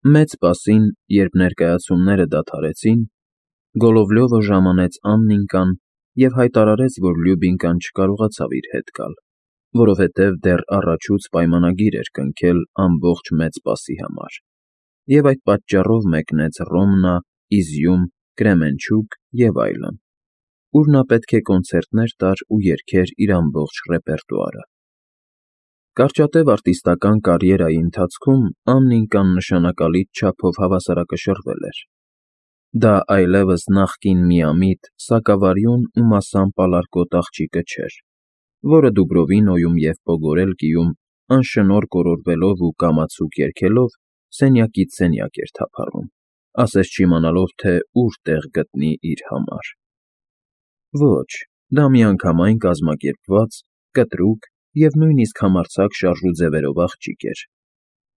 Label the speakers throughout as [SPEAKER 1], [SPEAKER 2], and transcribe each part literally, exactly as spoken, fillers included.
[SPEAKER 1] Մեծ պասին, երբ ներկայացումները դադարեցին, Գոլովլյովը ժամանեց Աննիկան և հայտարարեց, որ Լյուբինկան չկարողացավ իր հետ գալ, որովհետև դեռ առաջուց պայմանագիր էր կնքել ամբողջ մեծ պասի համար, և այդ պատճառով մեկնեց Ռոմնա, Իզյում, Կրեմենչուգ և այլն, ուր նա պետք է կոնցերտներ տար ու երգեր իր ամբողջ ռեպերտուարը։ Կարճատև արտիստական կարիերայի ընթացքում Աննիկան նշանակալից չափով հավասարակշռվել էր։ Դա այլևս նախկին միամիտ, սակավարյուն ու մասամբ ալարկոտ աղջիկը չէր, որը Դուբրովինոյում և Պոգորելկիում անշնորհ կորորվելով ու կամացուկ երգելով սենյակից սենյակ էր թափառում, ասես չիմանալով, թե ուր տեղ գտնի իր համար։ Ոչ, դա միանգամայն կազմակերպված, կտրուկ և նույնիսկ համարձակ շարժու ձևերով աղջիկ էր,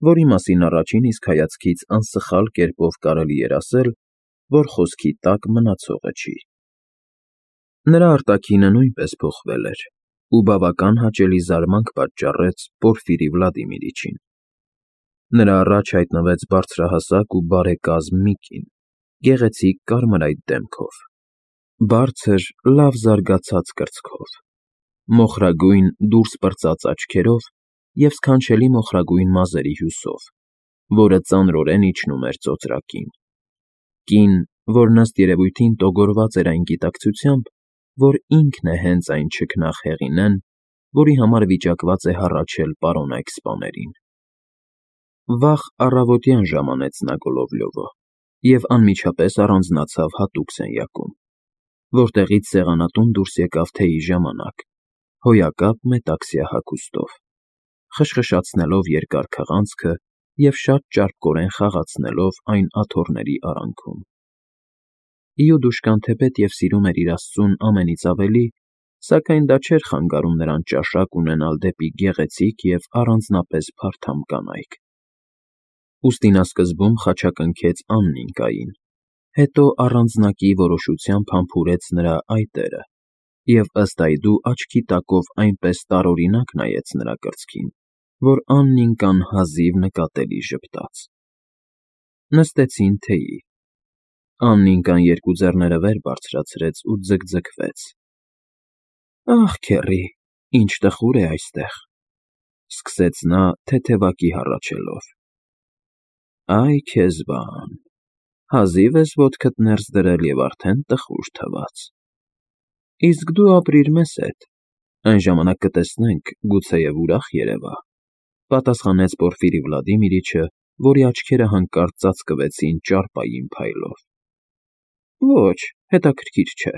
[SPEAKER 1] որի մասին առաջին իսկ հայացքից անսխալ կերպով կարելի էր ասել, որ խոսքի տակ մնացողը չի։ Նրա արտաքինը նույնպես փոխվել էր ու բավական հաճելի զարմանք պատճառեց Պորֆիրի Վլադիմիրիչին։ Նրա առաջ հայտնվեց բարձրահասակ ու բարեկազմ մի կին, գեղեցիկ կարմրայտ դեմքով, բարձր, լավ զարգացած կրծքով, մոխրագույն դուրս պրծած աչքերով և սքանչելի մոխրագույն մազերի հյուսով, որը ծանրորեն իջնում էր ծոծրակին, կին, որ ըստ երևույթին տոգորված էր այն գիտակցությամբ, որ ինքն է հենց այն չքնաղ Հեղինեն, որի համար վիճակված է հառաչել պարոն այքսպաներին։ Վաղ առավոտյան ժամանեց նա Գոլովլյովը և անմիջապես առանձնացավ հատուկ սենյակում, որտեղից սեղանատուն դուրս եկավ թեյի ժամանակ, հոյակապ մետաքսյա հագուստով, խշխշացնելով երկար քղանցքը և շատ ճարպկորեն խաղացնելով այն աթոռների արանքում։ Իուդուշկան թեպետև սիրում էր իր աստծուն ամենից ավելի, սակայն դա չէր խանգարում նրան ճաշակ ունենալ դեպի գեղեցիկ և առանձնապես փարթամ կանայք։ Ուստի նա սկզբում խաչակնքեց Աննիկային, հետո առանձնակի որոշությամբ համբուրեց նրա այտերը և ըստ այդու աչքի տակով այնպես տարօրինակ նայեց նրա կրծքին, որ Աննիկան հազիվ նկատելի ժպտաց։ Նստեցին թեյի։ Աննիկան երկու ձեռները վեր բարձրացրեց ու ձգձգվեց։ ֊ Ախ, քեռի, ինչ տխուր է այստեղ, ֊ սկսեց նա թեթևակի հառաչելով։ ֊ Այ քեզ բան, հազիվ ես ոտքդ ներս դրել և արդեն տխուր թվաց։ Իսկ դու ապրիր մեզ հետ, այն ժամանակ կտեսնենք, գուցեև ուրախ երևա, ֊ պատասխանեց Պորֆիրի Վլադիմիրիչը, որի աչքերը հանկարծ ծածկվեցին ճարպային փայլով։ ֊ Ոչ, հետաքրքիր չէ։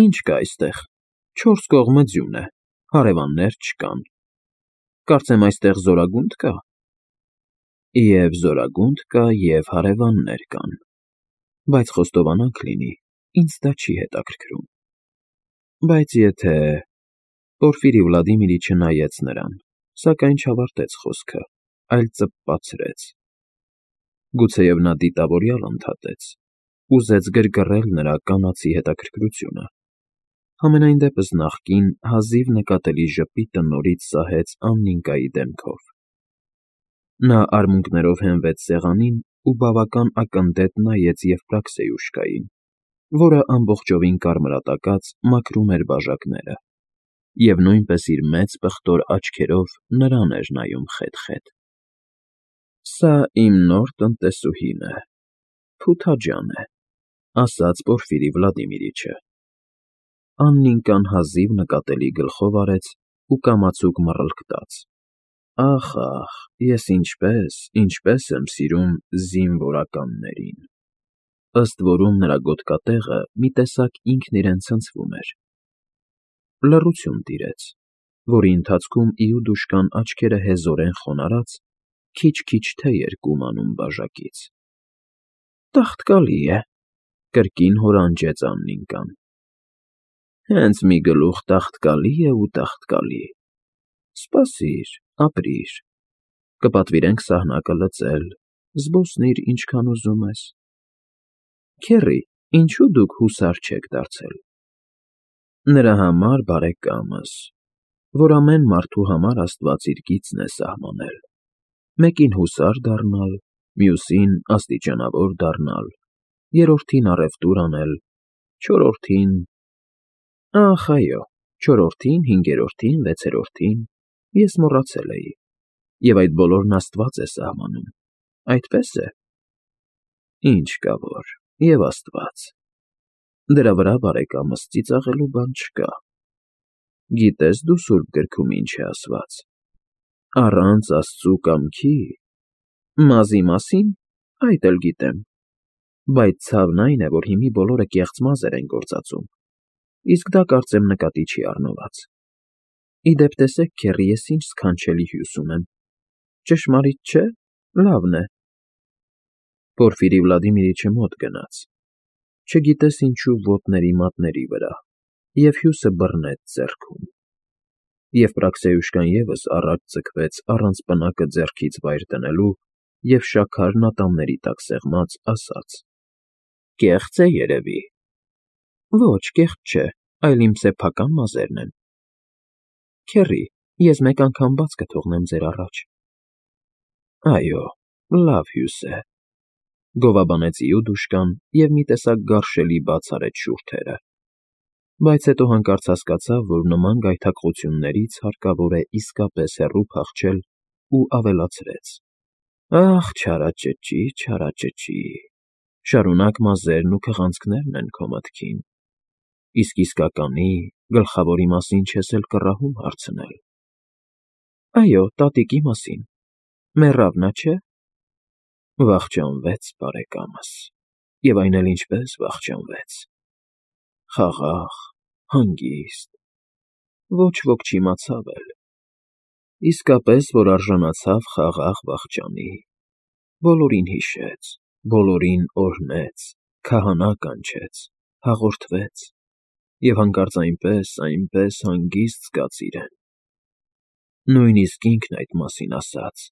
[SPEAKER 1] Ինչ կա այստեղ, չորս կողմը ձյուն է, հարևաններ չկան։ Կարծեմ այստեղ զորագունդ կա։ ֊ ԵՒ զորագունդ կա, և հարևաններ կան, բայց խոստովանանք լինի, ինձ դա չի հետաքրքրում։ Բայց եթե… Պորֆիրի Վլադիմիրիչը նայեց նրան, սակայն չավարտեց խոսքը, այլ ծպպացրեց։ Գուցեև նա դիտավորյալ ընդհատեց, ուզեց գրգռել նրա կանացի հետաքրքրությունը, համենայն դեպս նախկին հազիվ նկատելի ժպիտը նորից սահեց Աննիկայի դեմքով։ Նա արմունկներով հենվեց սեղանին ու բավական ակնթեթ նայեց Եվպրաքսեյուշկային, որը ամբողջովին կարմրատակած մաքրում էր բաժակները և նույնպես իր մեծ պղտոր աչքերով նրան էր նայում խետ֊խետ։ ֊ Սա իմ նոր տնտեսուհին է, Փութաջան է, ֊ ասաց Պորֆիրի Վլադիմիրիչը։ Աննիկան հազիվ նկատելի գլխով արեց ու կամացուկ մռլկտաց։ Ախ, ախ, ես ինչպես, ինչպես եմ սիրում զինվորականներին… Ըստ որում նրա գոտկատեղը մի տեսակ ինքն իրեն ցնցվում էր։ Լռություն տիրեց, որի ընթացքում Իուդուշկան աչքերը հեզորեն խոնարհած, քիչ֊քիչ թեյ էր կումանում բաժակից։ ֊ Տաղտկալի է, ֊ կրկին հորանջեց Աննիկան։ ֊ Հենց մի գլուխ տաղտկալի է ու տաղտկալի… Սպասիր, ապրիր, կպատվիրենք սահնակը լծել, զբոսնիր ինչքան ուզում ես… Քեռի, ինչո՞ւ դուք հուսար չեք դարձել։ ֊ Նրա համար, բարեկամս, որ ամեն մարդու համար աստված իր գիծն է սահմանել, մեկին հուսար դառնալ, մյուսին աստիճանավոր դառնալ, երրորդին առևտուր անել, չորրորդին… Ախ, այո, չորրորդին, հինգերորդին, վեցերորդին… Ես մոռացել էի, և այդ բոլորն աստված է սահմանում, այդպե՞ս է… Ինչ կա որ, և աստված… Դրա վրա, բարեկամս, ծիծաղելու բան չկա… Գիտե՞ս դու սուրբ գրքում ինչ է ասված. «Առանց աստծու կամքի…» Մազի մասի՞ն, այդ էլ գիտեմ, բայց ցավն այն է, որ հիմի բոլորը կեղծ մազեր են գործածում, իսկ դա կարծեմ նկատի չի առնված… Ի դեպ, տեսեք, քեռի, ես ինչ սքանչելի հյուս ունեմ, ճշմարիտ չէ՞, լավն է… Պորֆիրի Վլադիմիրիչը մոտ գնաց, չգիտես ինչու ոտների մատների վրա, և հյուսը բռնեց ձեռքում, և Պրաքսեուշկան ևս առաջ ձգվեց առանց պնակը ձեռքից վայր դնելու և շաքարն ատամների տակ սեղմած, ասաց. «Կեղծ է, երևի»։ Ոչ, կեղծ չէ, այլ իմ սեփական մազերն են… Քեռի, ես մեկ անգամ բաց կթողնեմ ձեր առաջ… Այո, լավ հյուս է…֊ գովաբանեց Իուդուշկան և մի տեսակ գարշելի բաց արեց շուրթերը, բայց հետո հանկարծ հասկացավ, որ նման գայթակղություններից հարկավոր է իսկապես հեռու փախչել ու ավելացրեց. «Ախ, չարաճճի, չարաճճի… Շարունակ մազերն ու քղանցքներն են քո մտքին, իսկ իսկականի, գլխավորի մասին չես էլ կռահում հարցնել»։ Այո, տատիկի մասին… Մեռավ նա, չէ՞… Վախճանվեց, բարեկամս, և այն էլ ինչպես վախճանվեց… Խաղաղ, հանգիստ… Ոչ ոք չիմացավ էլ… Իսկապես, որ արժանացավ խաղաղ վախճանի… Բոլորին հիշեց, բոլորին օրհնեց, քահանա կանչեց, հաղորդվեց… Եվ հանկարծ այնպես, այնպես հանգիստ զգաց իրեն… Նույնիսկ ինքն այդ մասին ասաց.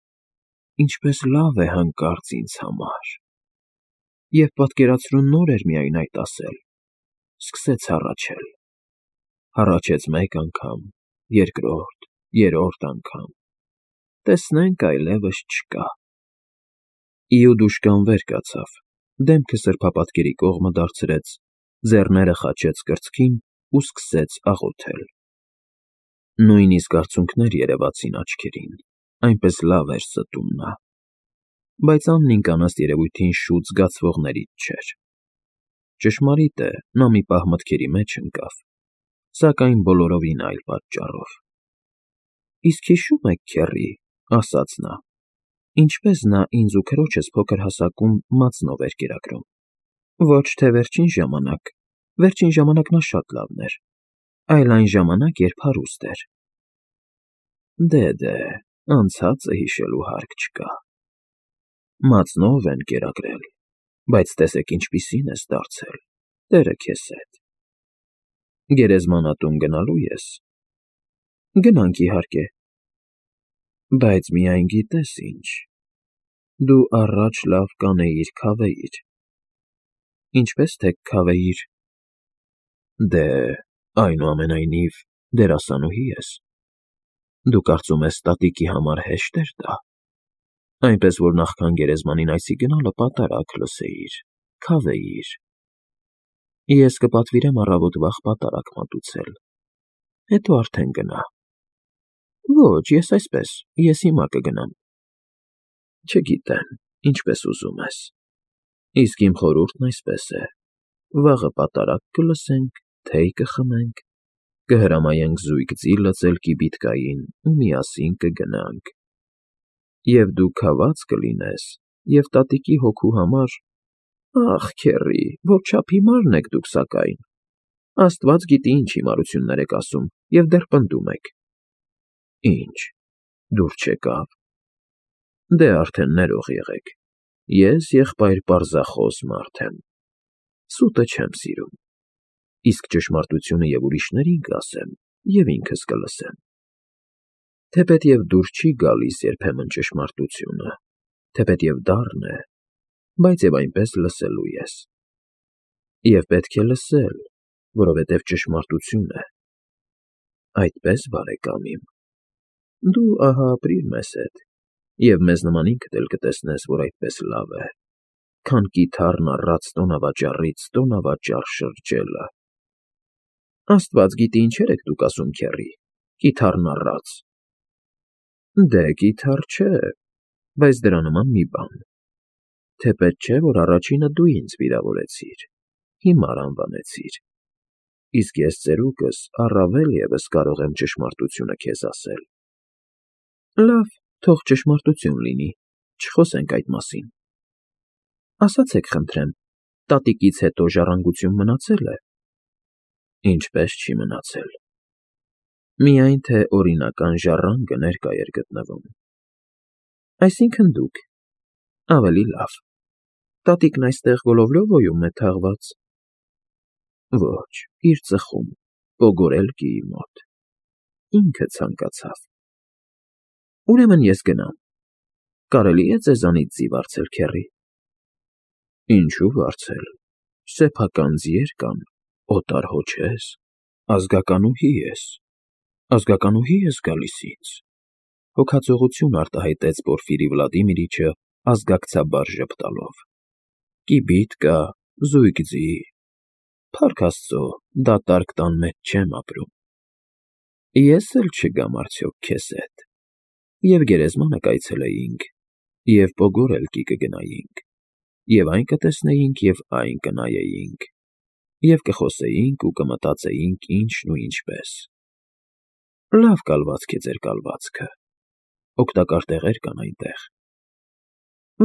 [SPEAKER 1] «Ինչպես լավ է հանկարծ ինձ համար…» Եվ պատկերացրու նոր էր միայն այդ ասել… Սկսեց հառաչել… Հառաչեց մեկ անգամ, երկրորդ, երրորդ անգամ… Տեսնենք, այլևս չկա… Իուդուշկան վեր կացավ, դեմքը սրբապատկերի կողմը դարձրեց, ձեռները խաչեց կրծքին ու սկսեց աղոթել… Նույնիսկ արցունքներ երևացին աչքերին, այնպես լավ էր ստում նա… Բայց Աննինքն ըստ երևույթին շուտ զգացվողներից չէր… Ճշմարիտ է, նա մի պահ մտքերի մեջ ընկավ, սակայն բոլորովին այլ պատճառով… Իսկ հիշո՞ւմ եք, քեռի, ֊ ասաց նա, ֊ ինչպես նա ինձ ու քրոջս փոքր հասակում մածնով էր կերակրում… Ոչ թե վերջին ժամանակ, վերջին ժամանակ նա շատ լավն էր, այլ այն ժամանակ, երբ հարուստ էր… Դե, դե, անցածը հիշելու հարկ չկա… Մածնով են կերակրել, բայց տեսեք ինչպիսին ես դարձել, տերը քեզ հետ… Գերեզմանատուն գնալո՞ւ ես… Գնանք, իհարկե… Բայց միայն գիտես ինչ… Դու առաջ լավ կանեիր քավեիր… Ինչպե՞ս թե քավեիր… Դե, այնուամենայնիվ, դերասանուհի ես… Դու կարծում ես տատիկի համար հեշտ էր դա… Այնպես որ նախքան գերեզմանին այցի գնալը պատարագ լսեիր, քավեիր… Ես կպատվիրեմ առավոտ վաղ պատարագ մատուցել… Հետո արդեն գնա… Ոչ, ես այսպես, ես հիմա կգնամ… Չգիտեմ, ինչպես ուզում ես… Իսկ իմ խորհուրդն այսպես է. վաղը պատարագ կլսենք, թեյ կխմենք, կհրամայենք զույգ ձի լծել կիբիտկային ու միասին կգնանք… Եվ դու քաված կլինես, և տատիկի հոգու համար… Ախ, քեռի, որչափ հիմարն եք դուք, սակայն… Աստված գիտի ինչ հիմարություններ եք ասում և դեռ պնդում եք… Ի՞նչ, դուր չեկավ… Դե արդեն ներող եղեք… Ես եղբայր պարզախոս մարդ եմ… Սուտը չեմ սիրում… Իսկ ճշմարտությունը և ուրիշներին կասեմ, և ինքս կլսեմ… Թեպետև դուր չի գալիս երբեմն ճշմարտությունը, թեպետև դառն է, բայց և այնպես լսելու ես… Եվ պետք է լսել, որովհետև ճշմարտություն է… Այդպե՞ս, բարեկամ իմ… Դու, ահա, ապրիր մեզ հետ… Եվ մեզ նման ինքդ էլ կտեսնես, որ այդպես լավ է, քան կիթառն առած տոնավաճառից տոնավաճառ շրջելը։ Աստված գիտի ինչեր եք դուք ասում, քեռի, կիթառն առած։ Դե, կիթառ չէ, բայց դրա նման մի բան։ Թեպետ չէ, որ առաջինը դու ինձ վիրավորեցիր, հիմար անվանեցիր, իսկ ես ծերուկս առավել ևս կարող եմ ճշմարտությունը քեզ ասել։ Լավ, թող ճշմարտություն լինի, չխոսենք այդ մասին։ Ասացեք, խնդրեմ, տատիկից հետո ժառանգություն մնացել է։ Ինչպես չի մնացել։ Միայն թե օրինական ժառանգը ներկա էր գտնվում։ Այսինքն դուք, ավելի լավ, տատիկն այստեղ Գոլովլյովոյում է թաղված։ Ոչ, իր ծխում, Պոգորելկիի մոտ։ Ինքը ցանկացավ։ Ուրեմն ես գնամ։ Կարելի է ձեզանից ձի վարձել, քեռի։ Ինչու վարձել, սեփական ձիեր կան, օտար հոչես, ազգականուհի ես, ազգականուհի ես գալիս ինձ, հոգածողություն արտահայտեց Պորֆիրի Վլադիմիրիչը ազգակցաբար ժպտալով։ Կիբիթ կա, զույգ ձի, փառք Աստծո, դատարկ տան մեջ չեմ ապրում։ Ես էլ չգամ արդյոք քեզ հետ։ Եվ գերեզմանը կայցելեինք, և Պոգորելկի կգնայինք, և այն կտեսնեինք, և այն կնայեինք, և կխոսեինք ու կմտածեինք ինչն ու ինչպես։ Լավ կալվածք է ձեր կալվածքը, օգտակար տեղեր կան այնտեղ։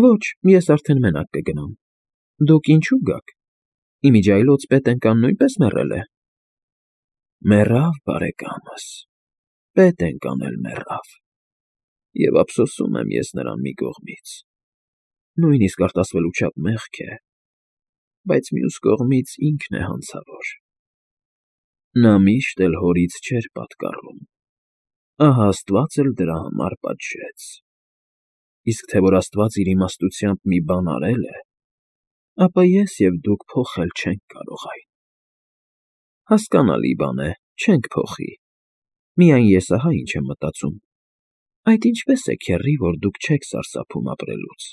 [SPEAKER 1] Ոչ, ես արդեն մենակ կգնամ։ Դուք ինչու գաք։ Իմիջիայլոց Պետենկան նույնպես մեռել է։ Մեռավ, բարեկամս, Պետենկան էլ մեռավ։ Եվ ափսոսում եմ ես նրան մի կողմից, նույնիսկ արտասվելու չափ մեղք է, բայց մյուս կողմից ինքն է հանցավոր։ Նա միշտ էլ հորից չէր պատկառում, ահա Աստված էլ դրա համար պատժեց։ Իսկ թե որ Աստված իր իմաստությամբ մի բան արել է, ապա ես և դուք փոխել չենք կարող այն։ Հասկանալի բան է, չենք փոխի, միայն ես ահա ինչ եմ մտածում. այդ ինչպես է, քեռի, որ դուք չեք սարսափում ապրելուց։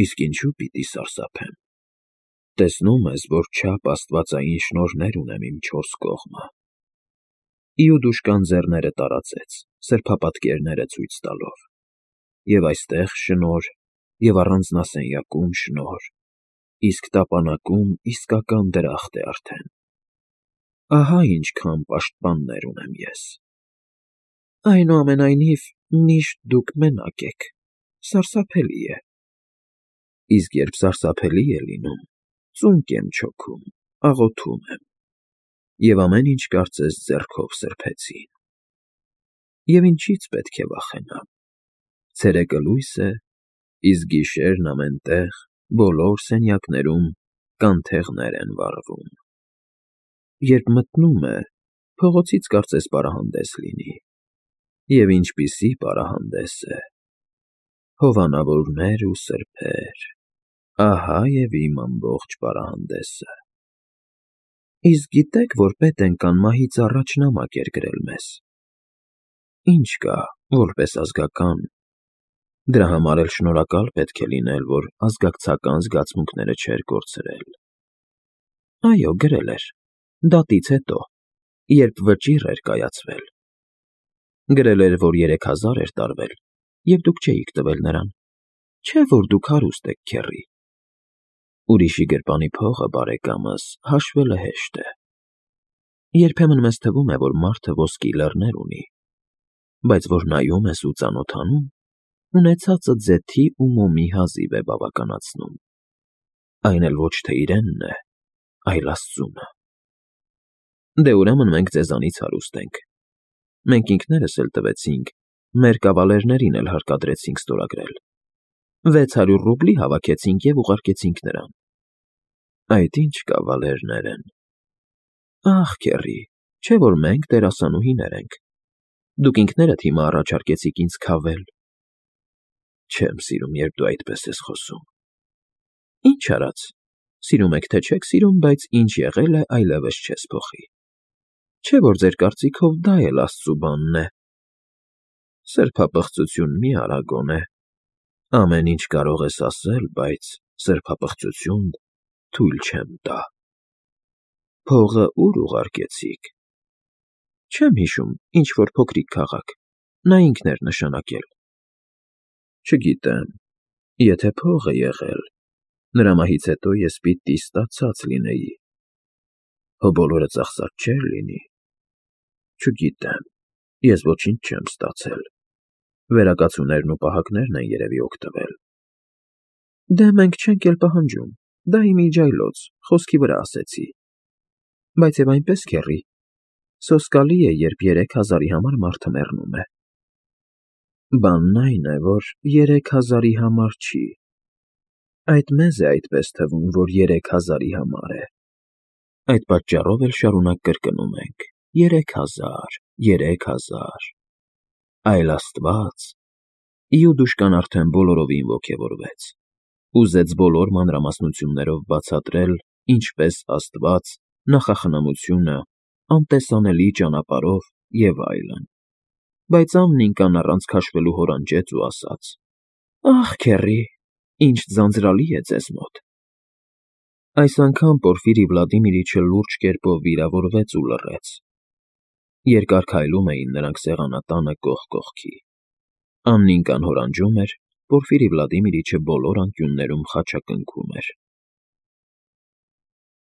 [SPEAKER 1] Իսկ ինչու պիտի սարսափեմ։ Տեսնում ես, որ չափ աստվածային շնորհներ ունեմ իմ չորս կողմը։ Իուդուշկան ձեռները տարածեց, սրբապատկերները ցույց տալով։ Եվ այստեղ շնորհ, և առանձնասենյակում շնորհ, իսկ տապանակում իսկական դրախտ է արդեն։ Ահա ինչքան պաշտպաններ ունեմ ես։ Այնուամենայնիվ, միշտ դուք մենակ եք, սարսափելի է։ Իսկ երբ սարսափելի է լինում, ծունկ եմ չոքում, աղոթում եմ, և ամեն ինչ կարծես ձեռքով սրբեցին։ Եվ ինչի՞ց պետք է վախենամ։ Ցերեկը լույս է, իսկ գիշերն ամեն տեղ, բոլոր սենյակներում կանթեղներ են վառվում։ Երբ մթնում է, փողոցից կարծես պարահանդես լինի։ Եվ ինչպիսի պարահանդես է։ Հովանավորներ ու սրբեր, ահա և իմ ամբողջ պարահանդեսը։ Իսկ գիտեք, որ Պետենկան մահից առաջ նամակ էր գրել մեզ։ Ինչ կա, որպես ազգական, դրա համար էլ շնորհակալ պետք է լինել, որ ազգակցական զգացմունքները չէր կորցրել։ Այո, գրել էր, դատից հետո, երբ վճիռ էր կայացվել։ Գրել էր, որ երեք հազար էր տարվել, և դուք չէիք տվել նրան, չէ՞ որ դուք հարուստ եք, քեռի։ Ուրիշի գրպանի փողը, բարեկամս, հաշվելը հեշտ է։ Երբեմն մեզ թվում է, որ մարդը ոսկի լեռներ ունի, բայց որ նայում ես ու ծանոթանում, ունեցածը ձեթի ու մոմի հազիվ է բավականացնում։ Այն էլ ոչ թե իրենն է, այլ Աստծունը։ Դե ուրեմն մենք ձեզանից հարուստ ենք։ Մենք ինքներս էլ տվեցինք, մեր կավալերներին էլ հարկադրեցինք ստորագրել։ Վեց հարյուր ռուբլի հավաքեցինք և ուղարկեցինք նրան։ Այդ ինչ կավալերներ են։ Ախ, քեռի, չէ՞ որ մենք դերասանուհիներ ենք։ Դուք ինքներդ հիմա առաջարկեցիք ինձ քավել։ Չեմ սիրում, երբ դու այդպես ես խոսում։ Ինչ արած, սիրում եք թե չեք սիրում, բայց ինչ եղել է, այլևս չես փոխի։ Չէ՞ որ ձեր կարծիքով դա էլ Աստծու բանն է։ Սրբապղծություն մի արա գոնե, ամեն ինչ կարող ես ասել, բայց սրբապղծություն թույլ չեմ տա։ Փողը ո՞ւր ուղարկեցիք։ Չեմ հիշում, ինչ֊որ փոքրիկ քաղաք, նա ինքն էր նշանակել։ Չգիտեմ, եթե փող է եղել, նրա մահից հետո ես պիտի ստացած լինեի։ Հո բոլորը ծախսած չէր լինի։ Չգիտեմ, ես ոչինչ չեմ ստացել։ Վերակացուներն ու պահակներն են երևի օգտվել։ Դե մենք չենք էլ պահանջում, դա իմ իջայլոց, խոսքի վրա ասեցի։ Բայց և այնպես, քեռի, սոսկալի է, երբ երեք հազարի համար մարդը մեռնում է։ Բանն այն է, որ երեք հազարի համար չի։ Այդ մեզ է այդպես թվում, որ երեք հազարի համար է։ Այդ պատճառով էլ շարունակ կրկնում ենք. երեք հազար, երեք հազար։ Այլ աստված… Իուդուշկան արդեն բոլորովին ոգևորվեց, ուզեց բոլոր մանրամասնություններով բացատրել, ինչպես աստված, նախախնամությունը, անտեսանելի ճանապարհով և այլն, բայց Աննիկան առանց քաշվելու հորանջեց ու ասաց. Ախ, քեռի, ինչ ձանձրալի է ձեզ մոտ։ Այս անգամ Պորֆիրի Վլադիմիրիչը լուրջ կերպով վիրավորվեց ու լռեց։ Երկար քայլում էին նրանք սեղանատանը կողք կողքի։ Աննիկան հորանջում էր, Պորֆիրի Վլադիմիրիչը բոլոր անկյուններում խաչակնքում էր։